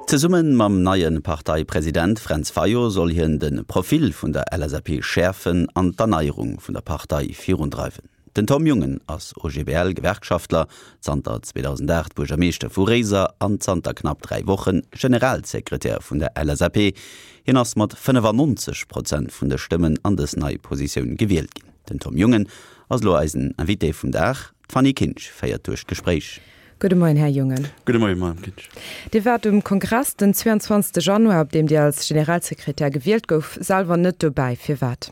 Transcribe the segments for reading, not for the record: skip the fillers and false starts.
Zesumme mam neie Parteipresident Fränz Fayot soll hien de Profil vun der LSAP schäerfen an d'Erneierung vun der Partei virundreiwen. Den Tom Jungen ass OGBL-Gewerkschaftler, zanter 2008 Buergermeeschter vu Réiser an zanter knapp 3 Woche Generalsekretär vun der LSAP. Hien ass mat 95 Prozent vun de Stëmmen an dës nei Positioun gewielt ginn. Den Tom Jungen ass elo eisen Invité vum Dag. D'Fanny Kinsch féiert duerch d'Gespréich. Gudde Moien, Här Jungen. Gudde Moien, Madame Kinsch. Dir waart um Kongress den 22. Januar, op deem Dir als Generalsekretär gewielt gouf, selwer net dobäi. Firwat?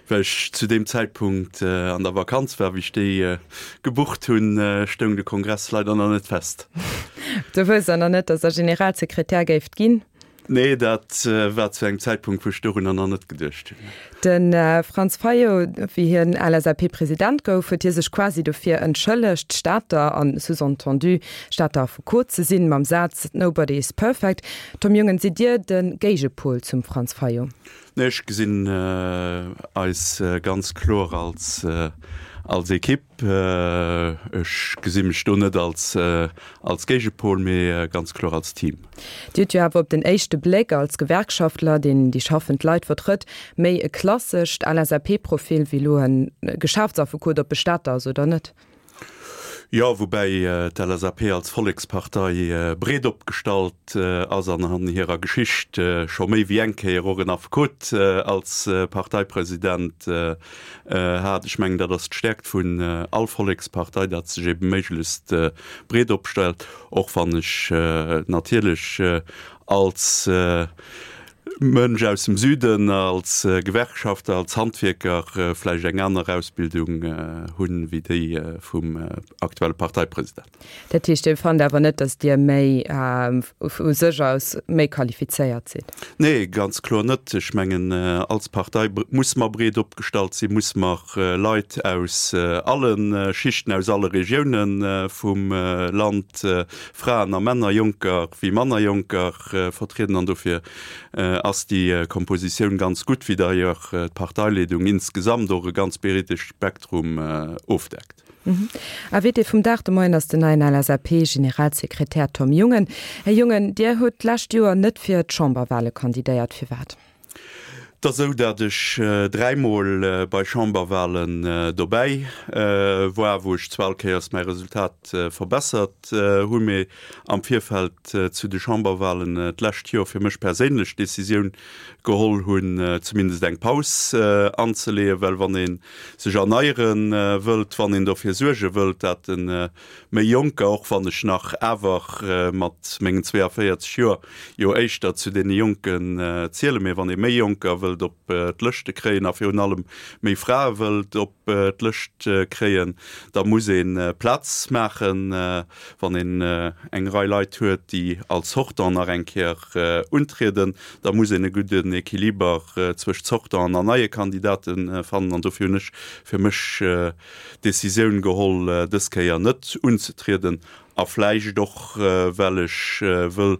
Well ech zu deem Zäitpunkt an der Vakanz war. Wéi ech déi gebucht hunn, stoung de Kongress leider nach net fest. Du wousst dann nach net, datt Der Generalsekretär géift ginn? Nee, dat war zu engem Zäitpunkt, wou ech dorunner nach net geduecht hunn. De Franz Fayot, wéi hien LSAP-President gouf, huet hie sech quasi dofir entschëllegt, Stater, a sous-entendu Stater Affekot ze sinn, mam Saz Nobody is perfect. Tom Jungen, sidd Dir de Géigepol zum Franz Fayot? Nee, ech gesinn eis ganz kloer als als Ekipp. Ech gesi mech do net als als Géigepol, mee ganz kloer als Team. Dir hutt jo awer op den éischte Bléck als Gewerkschaftler, deen déi schaffend Leit vertrëtt, méi e klassescht LSAP-Profil wéi elo e Geschäftsaffekot op Bestatter ass, oder net? Jo, woubäi d'LSAP als Vollekspartei breet opgestallt ass an an hirer Geschicht scho méi wéi eng Kéier och en Affekot als Parteipresident hat. Ech mengen, dat ass d'Stäerkt vun all Vollekspartei, datt se sech ebe méiglechst breet opstellt, och wann ech natierlech als Mënsch aus dem Süden, als Gewerkschafter, als Handwierker vläicht eng aner Ausbildung hunn, wéi déi vum aktuelle Parteipresident. Dat heescht, Dir fannt awer net, datt Dir méi vu sech aus méi qualifizéiert sidd? Nee, ganz kloer net. Ech mengen, als Partei musse mer breet opgestallt sinn, musse mer Leit aus alle Schichten, aus alle Regioune vum Land, Fraen a Männer, Jonker wéi manner Jonker, vertrieden. An dofir ass déi Kompositioun ganz gutt, wéi d'ailleurs d'Parteileedung insgesamt och e ganz breede Spektrum ofdeckt. Invité vum Dag de Moien ass den neien LSAP-Generalsekretär Tom Jungen. Här Jungen, Dir hutt d'lescht Joer net fir d'Chamberwale kandidéiert. Firwat? Et ass esou, datt ech dräimol bei Chamberwalen dobäi war, wou ech zwar all Kéiers mäi Resultat verbessert hu, mee am Virfeld zu de Chamberwalen d'lescht Joer fir mech perséinlech d'Decisioun geholl hunn, zumindest eng Paus anzeleeën, well wann ee sech erneiere wëllt, wann een dofir suerge wëllt, dat de méi Jonker, och wann ech nach awer mat mengen 42 Joer jo éischter zu deene Jonken zielen, mee wann ee méi Jonker wëllt op d'Lëschte kréien a virun allem méi Frae wëllt op d'Lëscht kréien, da muss ee Plaz maachen. Wann een eng Rei Leit huet, déi als Sortant nach eng Kéier untrieden, da muss een e gudden Equiliber zwëscht Sortanten an neie Kandidate fannen. An dofir hunn ech fir mech d'Decisioun geholl, dës Kéier net unzetrieden a vläicht och, well ech wëll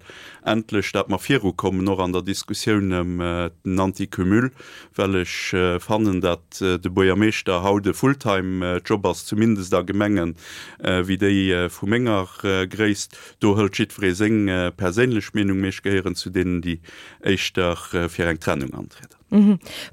endlech, dat mer virukommen, och an der Diskussioun ëm den Anticumul, well ech fannen, dat de Buergermeeschter haut e Fulltime-Job ass, zumindest a Gemenge wéi déi vu menger Gréisst. Do hëlt jiddweree seng perséinlech Meenung, mee ech gehéieren zu deenen, déi éischter fir eng Trennung antrieden.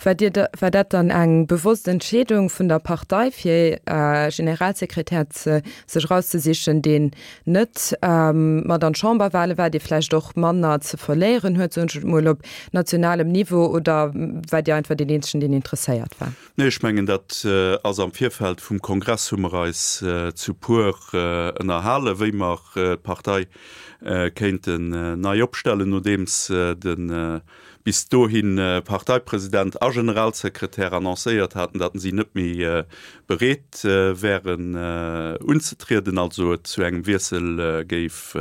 War Dir, war dat dann eng bewosst Entscheedung vun der Partei, fir e Generalsekretär ze sech erauszesichen, deen net mat an d'Chamberwale war, dee vläicht och manner ze verléieren huet, soen ech et mol, op nationalem Niveau, oder war Dir einfach deen eenzegen, deen interesséiert war? Nee, ech mengen, dat ass am Virfeld vum Kongress hu mer eis zu puer ënnerhalen, wéi mer d'Partei kéinten nei opstellen, nodeems de bis dohi Parteipresident a Generalsekretär annoncéiert haten, datt si net méi bereet wären unzetrieden, also et zu engem Wiessel géif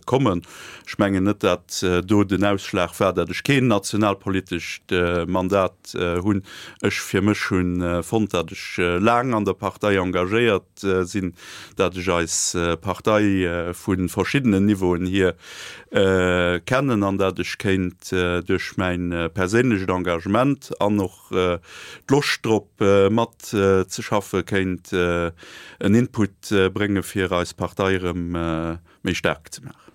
kommen. Ech mengen net, datt do den Ausschlag war, datt ech keen nationalpolitescht Mandat hunn. Ech fir mech hu fonnt, datt ech laang an der Partei engagéiert sinn, datt ech eis Partei vu verschiddenen Niveauen hier kennen an datt ech kéint duerch mäin perséinlecht Engagement an och d'Loscht drop mat ze schaffe kéint en Input brénge fir eis Partei erëm méi staark ze maachen.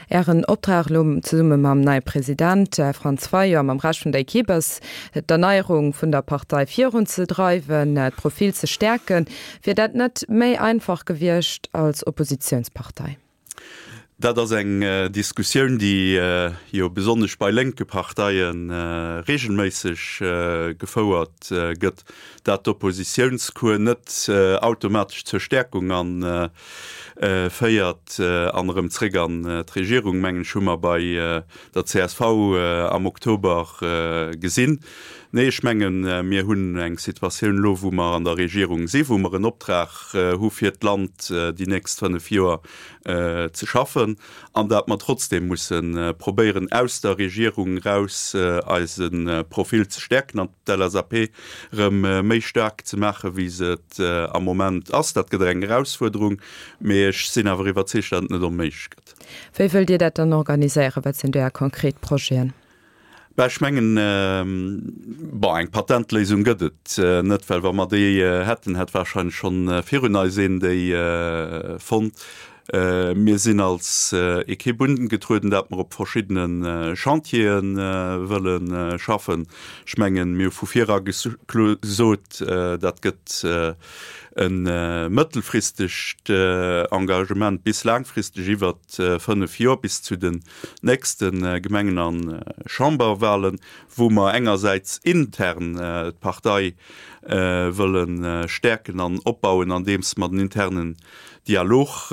Ären Optrag elo zesumme mam neie President Franz Fayot a mam Rescht vun der Ekipp ass, d'Erneierung vun der Partei virunzedreiwen, d'Profil ze stäerken. Wier dat net méi einfach gewiescht als Oppositiounspartei? Dat ass eng Diskussioun, déi jo besonnesch bei lénke Parteie regelméisseg gefouert gëtt, dat d'Oppositiounscours net automatesch zur Stäerkung an féiert an erëm zréck an d'Regierung, mengen ech, hu mer bei der csv am Oktober gesinn. Nee, ech mengen, mir hunn eng Situatioun elo, wou mer an der Regierung si, wou mer en Optrag hu fir d'Land déi nächst 5 Joer ze schaffen an dat mer trotzdem musse probéieren, aus der Regierung eraus eise Profil ze stäerken an d'LSAP erëm méi staark ze maachen, wéi se et am Moment ass. Dat gëtt eng Erausfuerderung, mee ech sinn awer iwwerzeegt, datt et net onméiglech gëtt. Wéi wëllt Dir dat dann organiséieren? Wat sinn do Är konkret Projeten? Bah, ech mengen, bon, eng Patentléisung gëtt et net, well wa mer déi hätten, hätt wahrscheinlech schonn virun eis een déi fonnt. Mir sinn als Ekipp ungetrueden, dat mer op verschiddene Chantiere wëlle schaffen. Ech mengen, mir hu vu vir era gesot, dat gëtt e mëttelfristegt Engagement bis laangfristeg iwwert 5 Joer, bis zu den nächste Gemengen a Chamberwahlen, wou mer engersäits intern d'Partei wëlle stäerken an opbauen, andeems mer den internen Dialog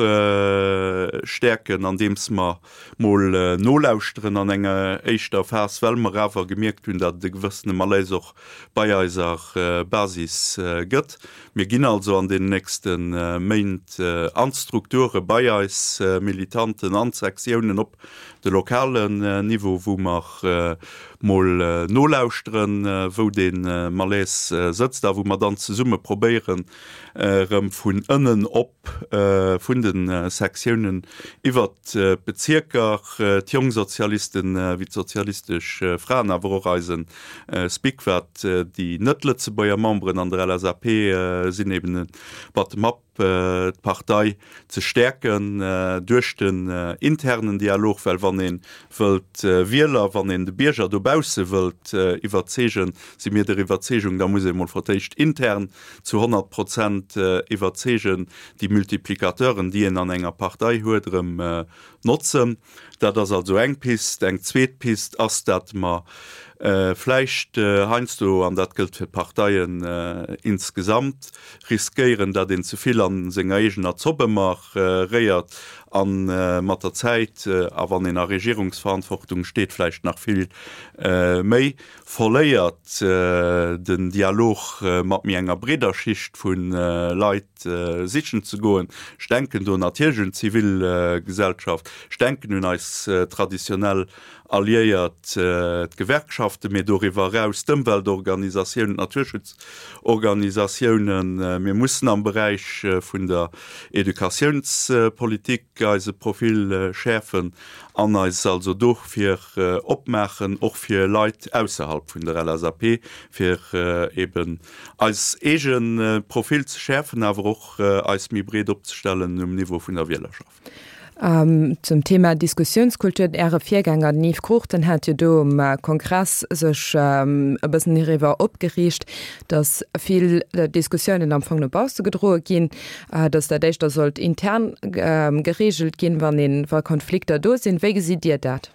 stäerken, andeems mer mol nolauschteren an enger éischter Phas, well mer awer gemierkt hunn, datt et e gewëssene Malaise och bei eiser Basis gëtt. Mir ginn also an deenen nächste Méint an d'Strukture bei eis Militanten, an d'Sektiounen op de lokalen Niveau, wou mer mol nolauschteren, wou dee Malaise sëtzt a wou mer dann zesumme probéieren, erëm vun ënnen op, vun de Sektiounen iwwert d'Bezierker, d'Jongsozialisten wéi d'Sozialistesch Fraen, awer och eise SPIC, wat déi net-Lëtzebuerger Memberen an der LSAP sinn, eben e Bottom-up d'Partei ze stäerken duerch den internen Dialog, well wann ee wëllt Wieler, wann een de Bierger dobausse wëllt iwwerzeegen, si mir der Iwwerzeegung, da muss ee mol fir d'éischt intern zu 100 Prozent iwwerzeegen, déi Multiplicateuren, déi een an enger Partei huet, erëm notzen. Dat ass also eng Pist. Eng zweet Pist ass, datt mer vläicht heiansdo, an dat gëllt fir d'Parteien insgesamt, riskéieren, datt een ze vill a senger eegener Zopp ëmmer réiert a mat der Zäit, a wann een a Regierungsverantwortung steet, vläicht nach vill méi, verléiert den Dialog mat méi enger breeder Schicht vu Leit sichen ze goen. Ech denken do natierlech un d'Zivilgesellschaft, ech denken un eis traditionell Alliéiert, d'Gewerkschaften, mee doriwwer eraus d'Ëmweltorganisatiounen, d'Naturschutzorganisatiounen. Mir mussen am Beräich vun der Educatiounspolitik eise Profil schäerfen an eis also dofir opmaachen, och fir Leit ausserhalb vun der LSAP, fir eben eis eege Profil ze schäerfen, awer och eis méi breet opzestellen um Niveau vun der Wielerschaft. Zum Thema Diskussiounskultur, Äre Virgänger, den Yves Cruchten, hat jo do um Kongress sech e bëssen hiriwwer opgeriicht, datt vill Diskussiounen am Fong no bausse gedroe ginn, datt dat éischter sollt intern gereegelt ginn, wann een, wa Konflikter do sinn. Wéi gesitt Dir dat?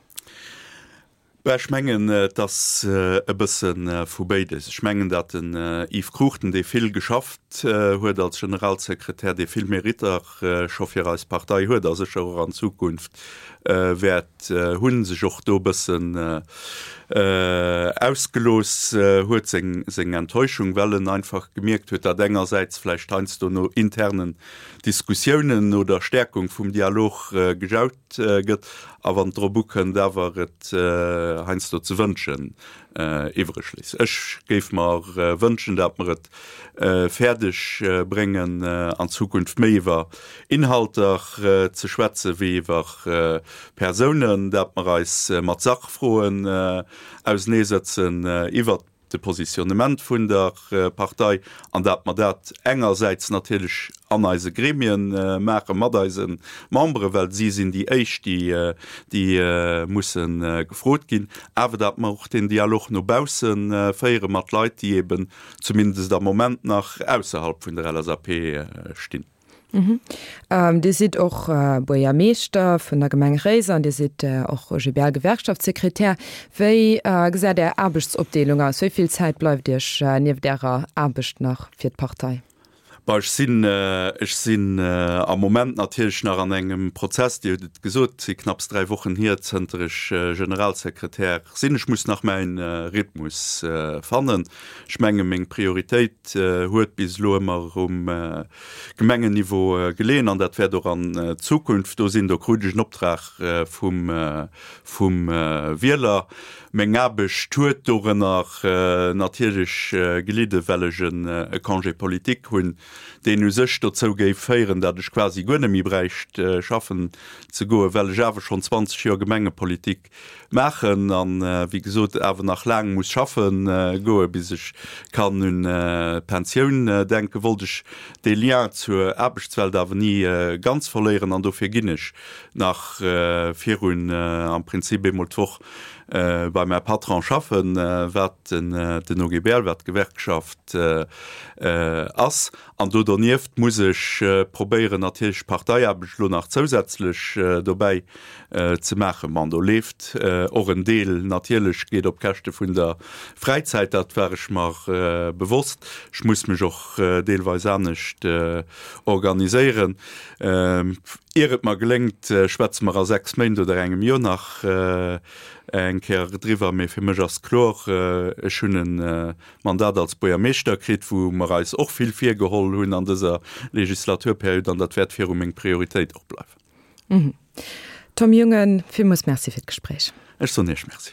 Bah, ech mengen, et ass e bësse vu béides. Ech mengen, datt den Yves Cruchten, dee vill geschafft huet als Generalsekretär, dee vill Meritter scho fir eis Partei huet a sécher och an Zukunft wäert hunn, sech och do e bëssen ausgelooss huet, seng Enttäuschung, well en einfach gemierkt huet, datt engersäits vläicht heiansdo no internen Diskussiounen, no der Stäerkung vum Dialog gejaut gëtt a wann et drop ukënnt, awer et heiansdo ze wënschen iwwreg léisst. Ech géif mer wënschen, dat mer et fäerdeg bréngen, an Zukunft méi iwwer Inhalter ze schwätze wéi iwwer Persounen, dat mer eis mat Sachfroen auseneesëtzen, iwwert. de Positionnement vun der Partei an dat mer dat engersäits natierlech an eise Gremien maache mat eise Memberen, well si sinn déi éischt, déi déi musse gefrot ginn, awer dat mer och den Dialog no bausse féiere mat Leit, déi eben zumindest am Moment nach ausserhalb vun der LSAP stinn. Dir sidd och Buergermeeschter vun der Gemeng Réiser an Dir sidd och OGBL-Gewerkschaftssekretär. Wéi gesäit Är Aarbechtsopdeelung aus? Wéi vill Zäit bleift Iech nieft Ärer Aarbecht nach fir d'Partei? Bah, ech sinn, ech sinn am Moment natierlech nach an engem Prozess. Dir hutt et gesot, et si knapps 3 Wochen hier, zënter ech Generalsekretär sinn. Ech muss nach mäin Rhythmus fannen. Ech menge meng Prioritéit huet bis elo ëmmer um Gemengenniveau geleeën an dat wäert och an Zukunft do sinn. Do krut ech en Optrag vum vum Wieler. Meng Aarbecht huet dorënner natierlech gelidden, well ech e Congé politique hunn, deen u sech dozou géif féieren, datt ech quasi guer net méi bräicht schaffen ze goen, well ech awer schonn 20 Joer Gemengepolitik maachen an, wéi gesot, awer nach laang muss schaffe goen, bis ech kann un d'Pensioun denken, wollt ech dee Lien zur Aarbechtswelt awer ni ganz verléieren an dofir ginn ech nach virun am Prinzip eemol d'Woch bei mäi Patron schaffen, wat den OGBL, wat d'Gewerkschaft ass. An do donieft muss ech probéieren natierlech Parteiaarbecht elo nach zousätzlech dobäi ze maachen. Bon, do leeft och en Deel natierlech, geet op Käschte vun der Fräizäit, dat war ech mer bewosst. Ech muss mech och deelweis anescht organiséieren. Ier et mer geléngt, schwätze mer a 6 Méint oder engem Joer nach eng Kéier driwwer. Mee fir mech ass kloer, ech hunn e Mandat als Buergermeeschter kritt, wou mer eis och vill virgeholl hunn an dëser Legislaturperiod, an dat wäert viru meng Prioritéit och bleiwen. Tom Jungen, villmools Merci fir d'Gespréich. Ech soen Iech Merci.